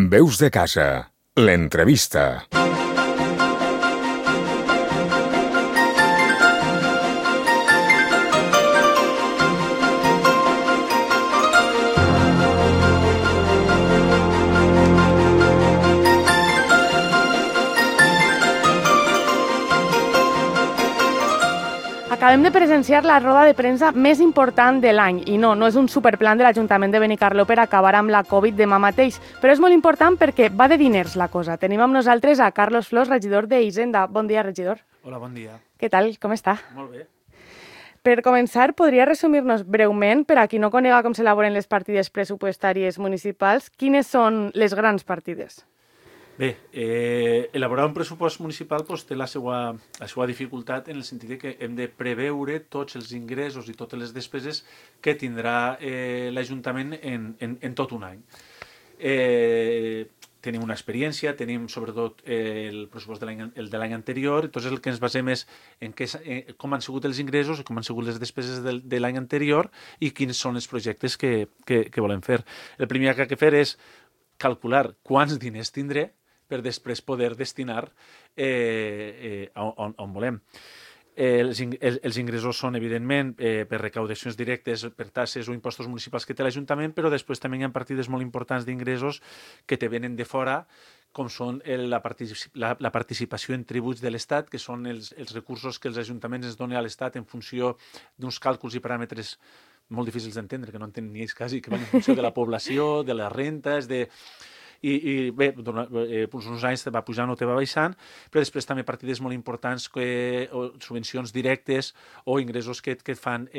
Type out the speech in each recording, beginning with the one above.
Veus de casa, l'entrevista. Acabem de presenciar la roda de premsa més important de l'any i no és un superplan de l'Ajuntament de Benicarló per acabar amb la Covid demà mateix, però és molt important perquè va de diners la cosa. Tenim amb nosaltres a Carlos Flors, regidor d'Hisenda. Bon dia, regidor. Hola, bon dia. Què tal? Com està? Molt bé. Per començar, podria resumir-nos breument, per a qui no conega com s'elaboren les partides pressupostàries municipals, quines són les grans partides? Bé, elaborar un pressupost municipal té la seva dificultat en el sentit que hem de preveure tots els ingressos i totes les despeses que tindrà l'Ajuntament en tot un any. Tenim una experiència, tenim sobretot el pressupost de l'any anterior, entonces el que ens basem és en com han sigut els ingressos, com han sigut les despeses de l'any anterior i quins són els projectes que volem fer. El primer que ha de fer és calcular quants diners tindré per després poder destinar on volem. Els ingressos són, evidentment, per recaudacions directes, per taxes o impostos municipals que té l'Ajuntament, però després també hi ha partides molt importants d'ingressos que te venen de fora, com són la participació en tributs de l'Estat, que són els recursos que els ajuntaments ens donen a l'Estat en funció d'uns càlculs i paràmetres molt difícils d'entendre, que no entenen ni ells quasi, que van en funció de la població, de les rentes, i bé, uns anys va pujant o te va baixant, però després també partides molt importants, subvencions directes o ingressos que fan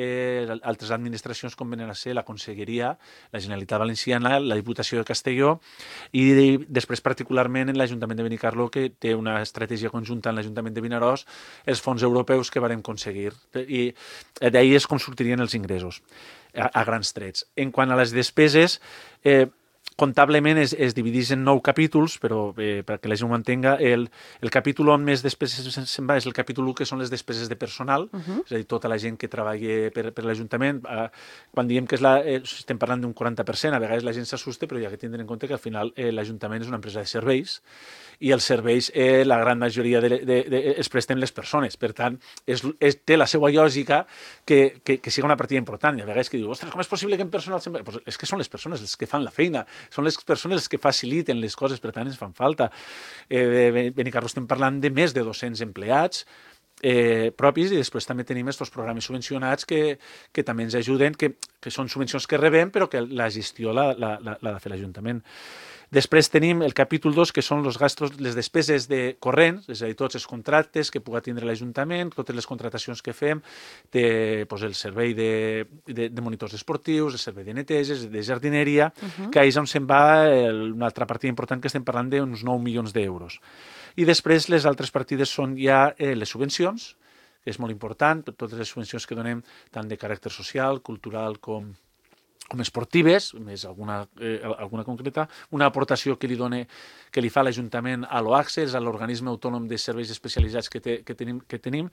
altres administracions com venen a ser la Conselleria, la Generalitat Valenciana, la Diputació de Castelló i després particularment en l'Ajuntament de Benicarló, que té una estratègia conjunta amb l'Ajuntament de Vinaròs, els fons europeus que vàrem aconseguir. I d'ahir és com sortirien els ingressos, a grans trets. En quant a les despeses, comptablement es divideix en 9 capítols, però perquè la gent ho entenga, el capítol on més despeses se'n va és el capítol 1, que són les despeses de personal, és a dir, tota la gent que treballa per l'Ajuntament. Quan diem que estem parlant d'un 40%, a vegades la gent s'assusta, però hi ha que tindre en compte que al final l'Ajuntament és una empresa de serveis i els serveis, la gran majoria es presten les persones. Per tant, té la seva lògica que siga una partida important. I a vegades que diu, ostres, com és possible que en personal... Pues és que són les persones les que fan la feina, són les persones que faciliten les coses, per tant ens fan falta. Benicarló estem parlant de més de 200 empleats propis i després també tenim aquests programes subvencionats que també ens ajuden, que són subvencions que rebem però que la gestió l'ha de fer l'Ajuntament. Després tenim el capítol 2, que són les despeses corrents, és a dir, tots els contractes que pugui tindre l'Ajuntament, totes les contratacions que fem, el servei de monitors esportius, el servei de neteges, de jardineria, que és on se'n va una altra partida important, que estem parlant d'uns 9 milions d'euros. I després les altres partides són ja les subvencions, que és molt important, totes les subvencions que donem tant de caràcter social, cultural com esportives, més alguna concreta, una aportació que li fa l'Ajuntament a l'OACSES, a l'organisme autònom de serveis especialitzats que tenim,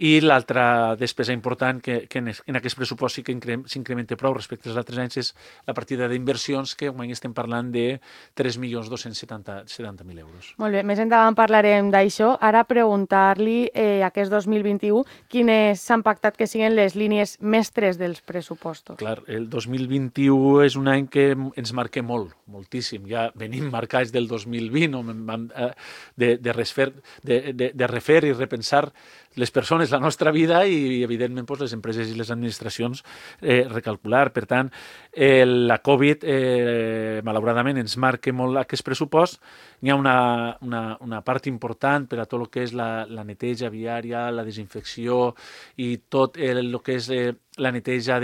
i l'altra despesa important que en aquest pressupost sí que s'incrementa prou respecte als altres anys és la partida d'inversions, que avui estem parlant de 3.270.000 euros. Molt bé, més endavant parlarem d'això. Ara preguntar-li aquest 2021 quines s'han pactat que siguin les línies mestres dels pressupostos. Clar, el 2021 és un any que ens marca moltíssim. Ja venim marcats del 2020, de refer i repensar les persones, la nostra vida i, evidentment, les empreses i les administracions recalcular. Per tant, la Covid, malauradament, ens marca molt aquest pressupost. Hi ha una part important per a tot el que és la neteja viària, la desinfecció i tot el que és la neteja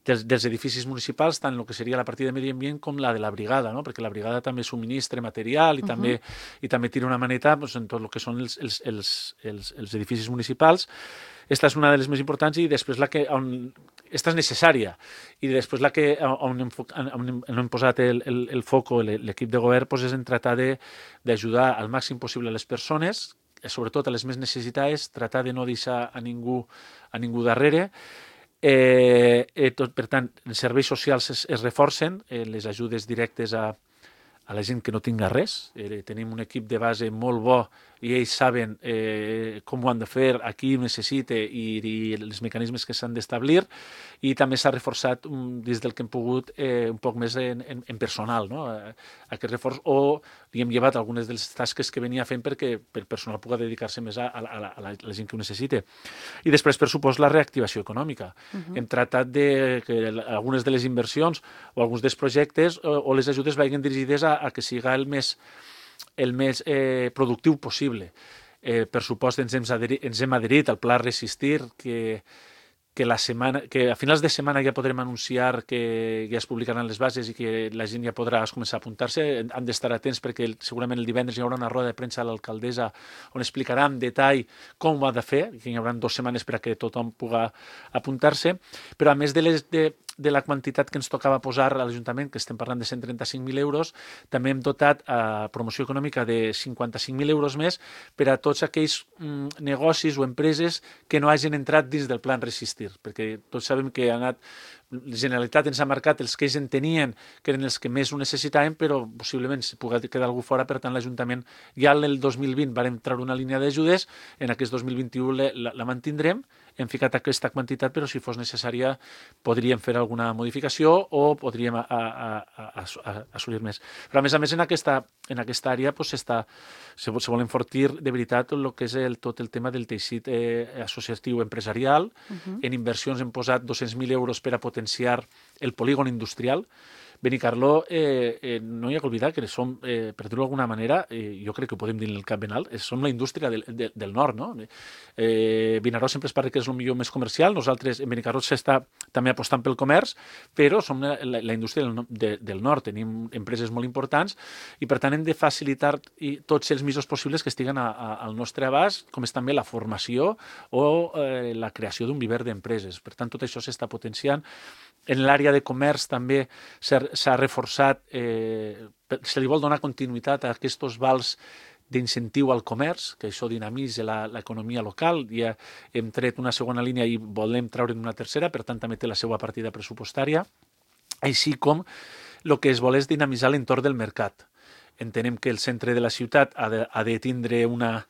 dels edificis municipals, tant el que seria la partida de medi ambient com la de la brigada, no? Perquè la brigada també subministra material i també tira una maneta en tot el que són els edificis municipals. Esta és una de les més importants i després esta és necessària i després on hem posat el foc, l'equip de govern, és en tratar d'ajudar al màxim possible a les persones, sobretot a les més necessitades, tratar de no deixar a ningú darrere. Per tant, els serveis socials es reforcen, les ajudes directes a a la gent que no tinga res. Tenim un equip de base molt bo i ells saben com ho han de fer, a qui ho necessita i els mecanismes que s'han d'establir, i també s'ha reforçat des del que hem pogut un poc més en personal, no? Aquest reforç, o li hem llevat algunes de les tasques que venia fent perquè el personal pugui dedicar-se més a la gent que ho necessita. I després, per supost, la reactivació econòmica. Hem tratat que algunes de les inversions o alguns dels projectes o les ajudes vagin dirigides a que siga el més productiu possible. Per supost, ens hem adherit al Pla Resistir, que a finals de setmana ja podrem anunciar que ja es publicaran les bases i que la gent ja podrà començar a apuntar-se. Han d'estar atents perquè segurament el divendres hi haurà una roda de premsa a l'alcaldessa on explicarà en detall com ho ha de fer, que hi haurà 2 setmanes perquè tothom pugui apuntar-se. Però a més de la quantitat que ens tocava posar a l'Ajuntament, que estem parlant de 135.000 euros, també hem dotat a promoció econòmica de 55.000 euros més per a tots aquells negocis o empreses que no hagin entrat dins del Plan Resistir, perquè tots sabem que la Generalitat ens ha marcat els que ells entenien que eren els que més ho necessitaven, però possiblement se pugui quedar algú fora. Per tant, l'Ajuntament ja el 2020 vam treure una línia d'ajudes, en aquest 2021 la mantindrem, hem ficat aquesta quantitat, però si fos necessària podríem fer alguna modificació o podríem assolir més. Però a més, en aquesta àrea se vol enfortir de veritat el que és tot el tema del teixit associatiu empresarial. En inversions hem posat 200.000 euros per a potenciar el polígon industrial. Benicarló, no hi ha que oblidar que som, per dir-ho d'alguna manera, jo crec que ho podem dir en el cap ben alt, som la indústria del nord, no? Vinaròs sempre es parla que és el millor més comercial, nosaltres en Benicarló s'està també apostant pel comerç, però som la indústria del nord, tenim empreses molt importants i per tant hem de facilitar tots els mitjans possibles que estiguen al nostre abast, com és també la formació o la creació d'un viver d'empreses. Per tant, tot això s'està potenciant. En l'àrea de comerç també s'ha reforçat, se li vol donar continuïtat a aquests vals d'incentiu al comerç, que això dinamitza l'economia local. Ja hem tret una segona línia i volem treure'n una tercera, per tant també té la seva partida pressupostària, així com el que es vol és dinamitzar l'entorn del mercat. Entenem que el centre de la ciutat ha de tindre una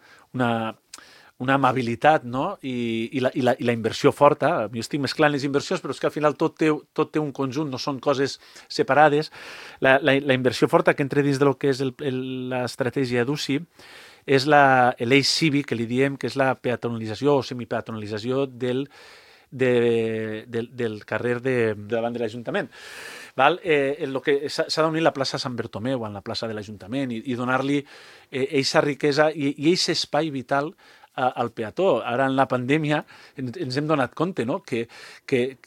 amabilitat, no? I la inversió forta. Jo estic mesclant les inversions, però és que al final tot té un conjunt, no són coses separades. La inversió forta que entra dins del que és l'estratègia d'UCI és l'eix cívic, que li diem que és la peatonalització o semipeatonalització del carrer davant de l'Ajuntament. S'ha d'unir la plaça Sant Bertomeu amb la plaça de l'Ajuntament i donar-li aquesta riquesa i aquest espai vital al peató. Ara, en la pandèmia, ens hem donat compte, no? que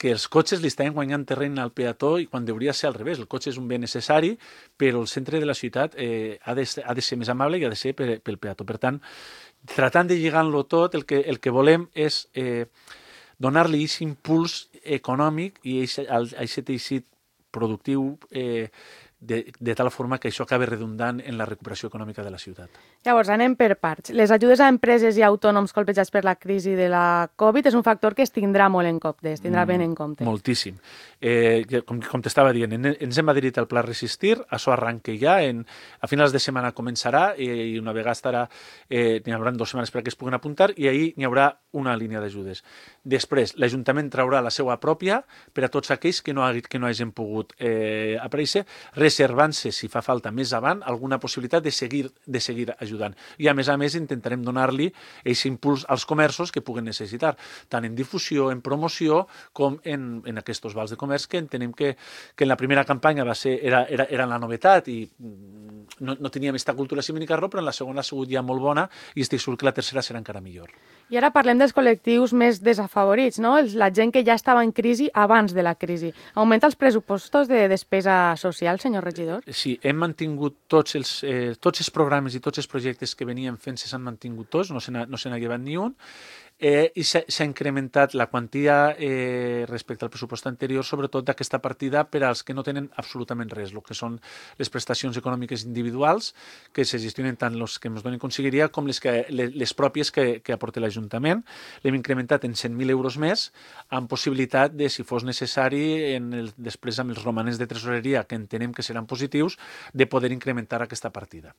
els cotxes li estaven guanyant terreny al peató i quan hauria de ser al revés. El cotxe és un bé necessari, però el centre de la ciutat ha de ser més amable i ha de ser pel peató. Per tant, tratant de lligar-lo tot, el que volem és donar-li aquest impuls econòmic i aquest teixit productiu de tal forma que això acabi redundant en la recuperació econòmica de la ciutat. Llavors, anem per parts. Les ajudes a empreses i autònoms colpejats per la crisi de la Covid és un factor que es tindrà molt en compte, es tindrà ben en compte. Moltíssim. Com t'estava dient, ens hem adherit al Pla Resistir, això arranca ja, a finals de setmana començarà i una vegada estarà, n'hi haurà 2 setmanes perquè es puguin apuntar i ahir n'hi haurà una línia d'ajudes. Després, l'Ajuntament traurà la seva pròpia per a tots aquells que no hagin pogut aparèixer, reservant-se, si fa falta més avant, alguna possibilitat de seguir ajudant. I, a més, intentarem donar-li aquest impuls als comerços que puguen necessitar, tant en difusió, en promoció, com en aquests vals de comerç, que entenem que en la primera campanya era la novetat i no teníem aquesta cultura a Benicarló, però en la segona ha sigut ja molt bona i estic segur que la tercera serà encara millor. I ara parlem dels col·lectius més desafavorits, no? La gent que ja estava en crisi abans de la crisi. Augmenta els pressupostos de despesa social, senyor regidor? Sí, hem mantingut tots els programes i tots els projectes que venien fent s'han mantingut tots, no se n'ha llevat ni un. i s'ha incrementat la quantia respecte al pressupost anterior, sobretot d'aquesta partida per als que no tenen absolutament res, el que són les prestacions econòmiques individuals, que se gestionen tant els que ens donen conselleria com les pròpies que aporta l'Ajuntament. L'hem incrementat en 100.000 euros més, amb possibilitat de, si fos necessari, després amb els romanents de tresoreria, que entenem que seran positius, de poder incrementar aquesta partida.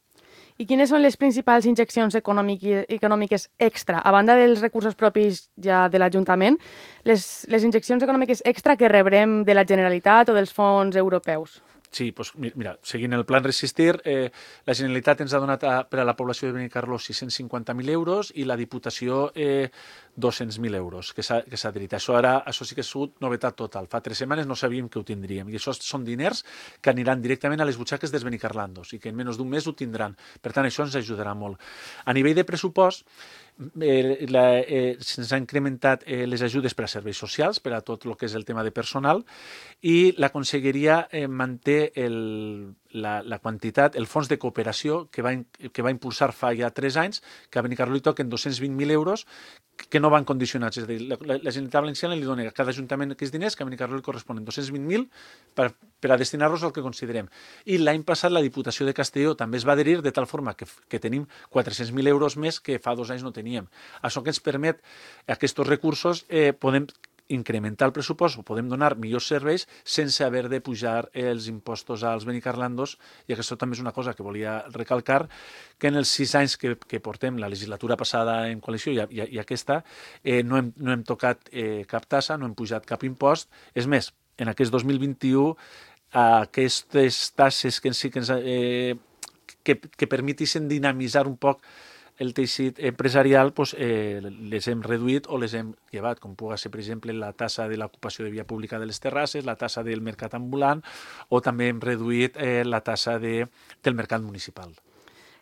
I quines són les principals injeccions econòmiques extra? A banda dels recursos propis ja de l'Ajuntament, les injeccions econòmiques extra que rebrem de la Generalitat o dels fons europeus? Sí, doncs mira, seguint el Plan Resistir, la Generalitat ens ha donat per a la població de Benicarló 650.000 euros i la Diputació 200.000 euros que s'ha adherit. Això sí que ha sigut novetat total. Fa 3 setmanes no sabíem que ho tindríem i això són diners que aniran directament a les butxaques dels benicarlandos i que en menys d'un mes ho tindran. Per tant, això ens ajudarà molt. A nivell de pressupost, se'ns ha incrementat les ajudes per a serveis socials, per a tot el que és el tema de personal, i la Conselleria manté la quantitat, el fons de cooperació que va impulsar fa ja 3 anys, que a Benicarló li toquen 220.000 euros, que no van condicionats. És a dir, la Generalitat Valenciana li dona a cada ajuntament aquests diners, que a Benicarló li corresponen 220.000 per a destinar-los al que considerem. I l'any passat la Diputació de Castelló també es va adherir, de tal forma que tenim 400.000 euros més que fa 2 anys no teníem. Això que ens permet, aquests recursos, podem incrementar el pressupost o podem donar millors serveis sense haver de pujar els impostos als benicarlandos, i aquesta també és una cosa que volia recalcar, que en els 6 anys que portem, la legislatura passada en coalició i aquesta, no hem tocat cap tassa, no hem pujat cap impost. És més, en aquest 2021, aquestes tasses que permetissin dinamitzar un poc el teixit empresarial, les hem reduït o les hem llevat, com pugui ser, per exemple, la tassa de l'ocupació de via pública de les terrasses, la tassa del mercat ambulant, o també hem reduït la tassa del mercat municipal.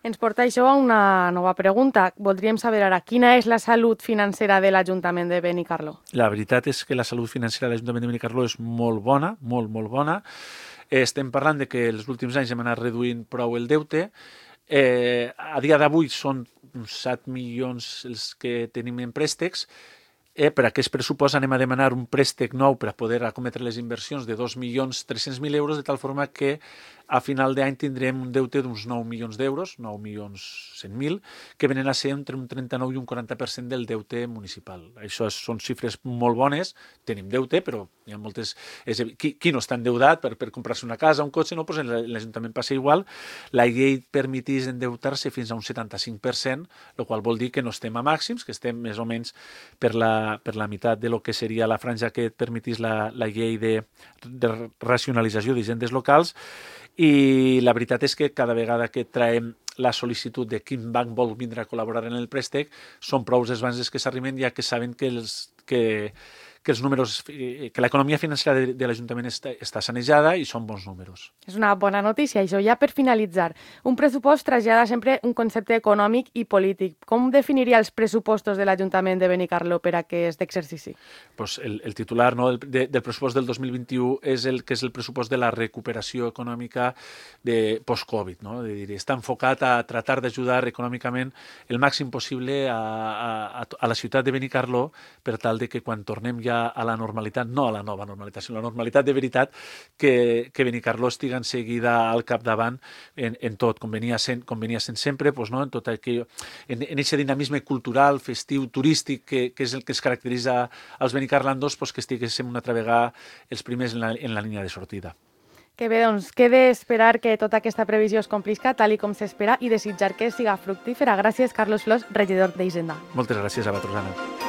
Ens porta això a una nova pregunta. Voldríem saber ara quina és la salut financera de l'Ajuntament de Benicarló. La veritat és que la salut financera de l'Ajuntament de Benicarló és molt bona, molt, molt bona. Estem parlant de que els últims anys hem anat reduint prou el deute. A dia d'avui són uns 7 milions els que tenim en préstecs. Per aquest pressupost anem a demanar un préstec nou per a poder acometre les inversions de 2.300.000 euros, de tal forma que a final d'any tindrem un deute d'uns 9 milions d'euros, 9.100.000, que venen a ser entre un 39 i un 40% del deute municipal. Això són xifres molt bones, tenim deute, però hi ha moltes... Qui no està endeutat per comprar-se una casa, un cotxe, no? Pues l'Ajuntament passa igual. La llei permetís endeutar-se fins a un 75%, el qual vol dir que no estem a màxims, que estem més o menys per la meitat de lo que seria la franja que et permetís la llei de racionalització d'hisendes locals. I la veritat és que cada vegada que traiem la sol·licitud de quin banc vol vindre a col·laborar en el préstec, són prou els bancs que s'arriben, ja que saben que els números, que l'economia financera de l'Ajuntament està sanejada i són bons números. És una bona notícia, això. Ja per finalitzar, un pressupost trasllada sempre un concepte econòmic i polític. Com definiria els pressupostos de l'Ajuntament de Benicarló per a aquest exercici? Pues el titular, no, del pressupost del 2021 és el que és el pressupost de la recuperació econòmica de post-Covid. No? Està enfocat a tratar d'ajudar econòmicament el màxim possible a la ciutat de Benicarló per tal de que quan tornem ja a la normalitat, no a la nova normalitat, sinó a la normalitat de veritat, que Benicarló estigui en seguida al capdavant en tot, com venia sent sempre, pues, no? En tot aquell, en aquest dinamisme cultural, festiu, turístic, que és el que es caracteritza als benicarlandos, pues, que estiguéssim una altra vegada els primers en la línia de sortida. Que bé, doncs queda esperar que tota aquesta previsió es complisca tal i com s'espera i desitjar que siga fructífera. Gràcies, Carlos Flors, regidor d'Hisenda. Moltes gràcies a vosaltres, Anna.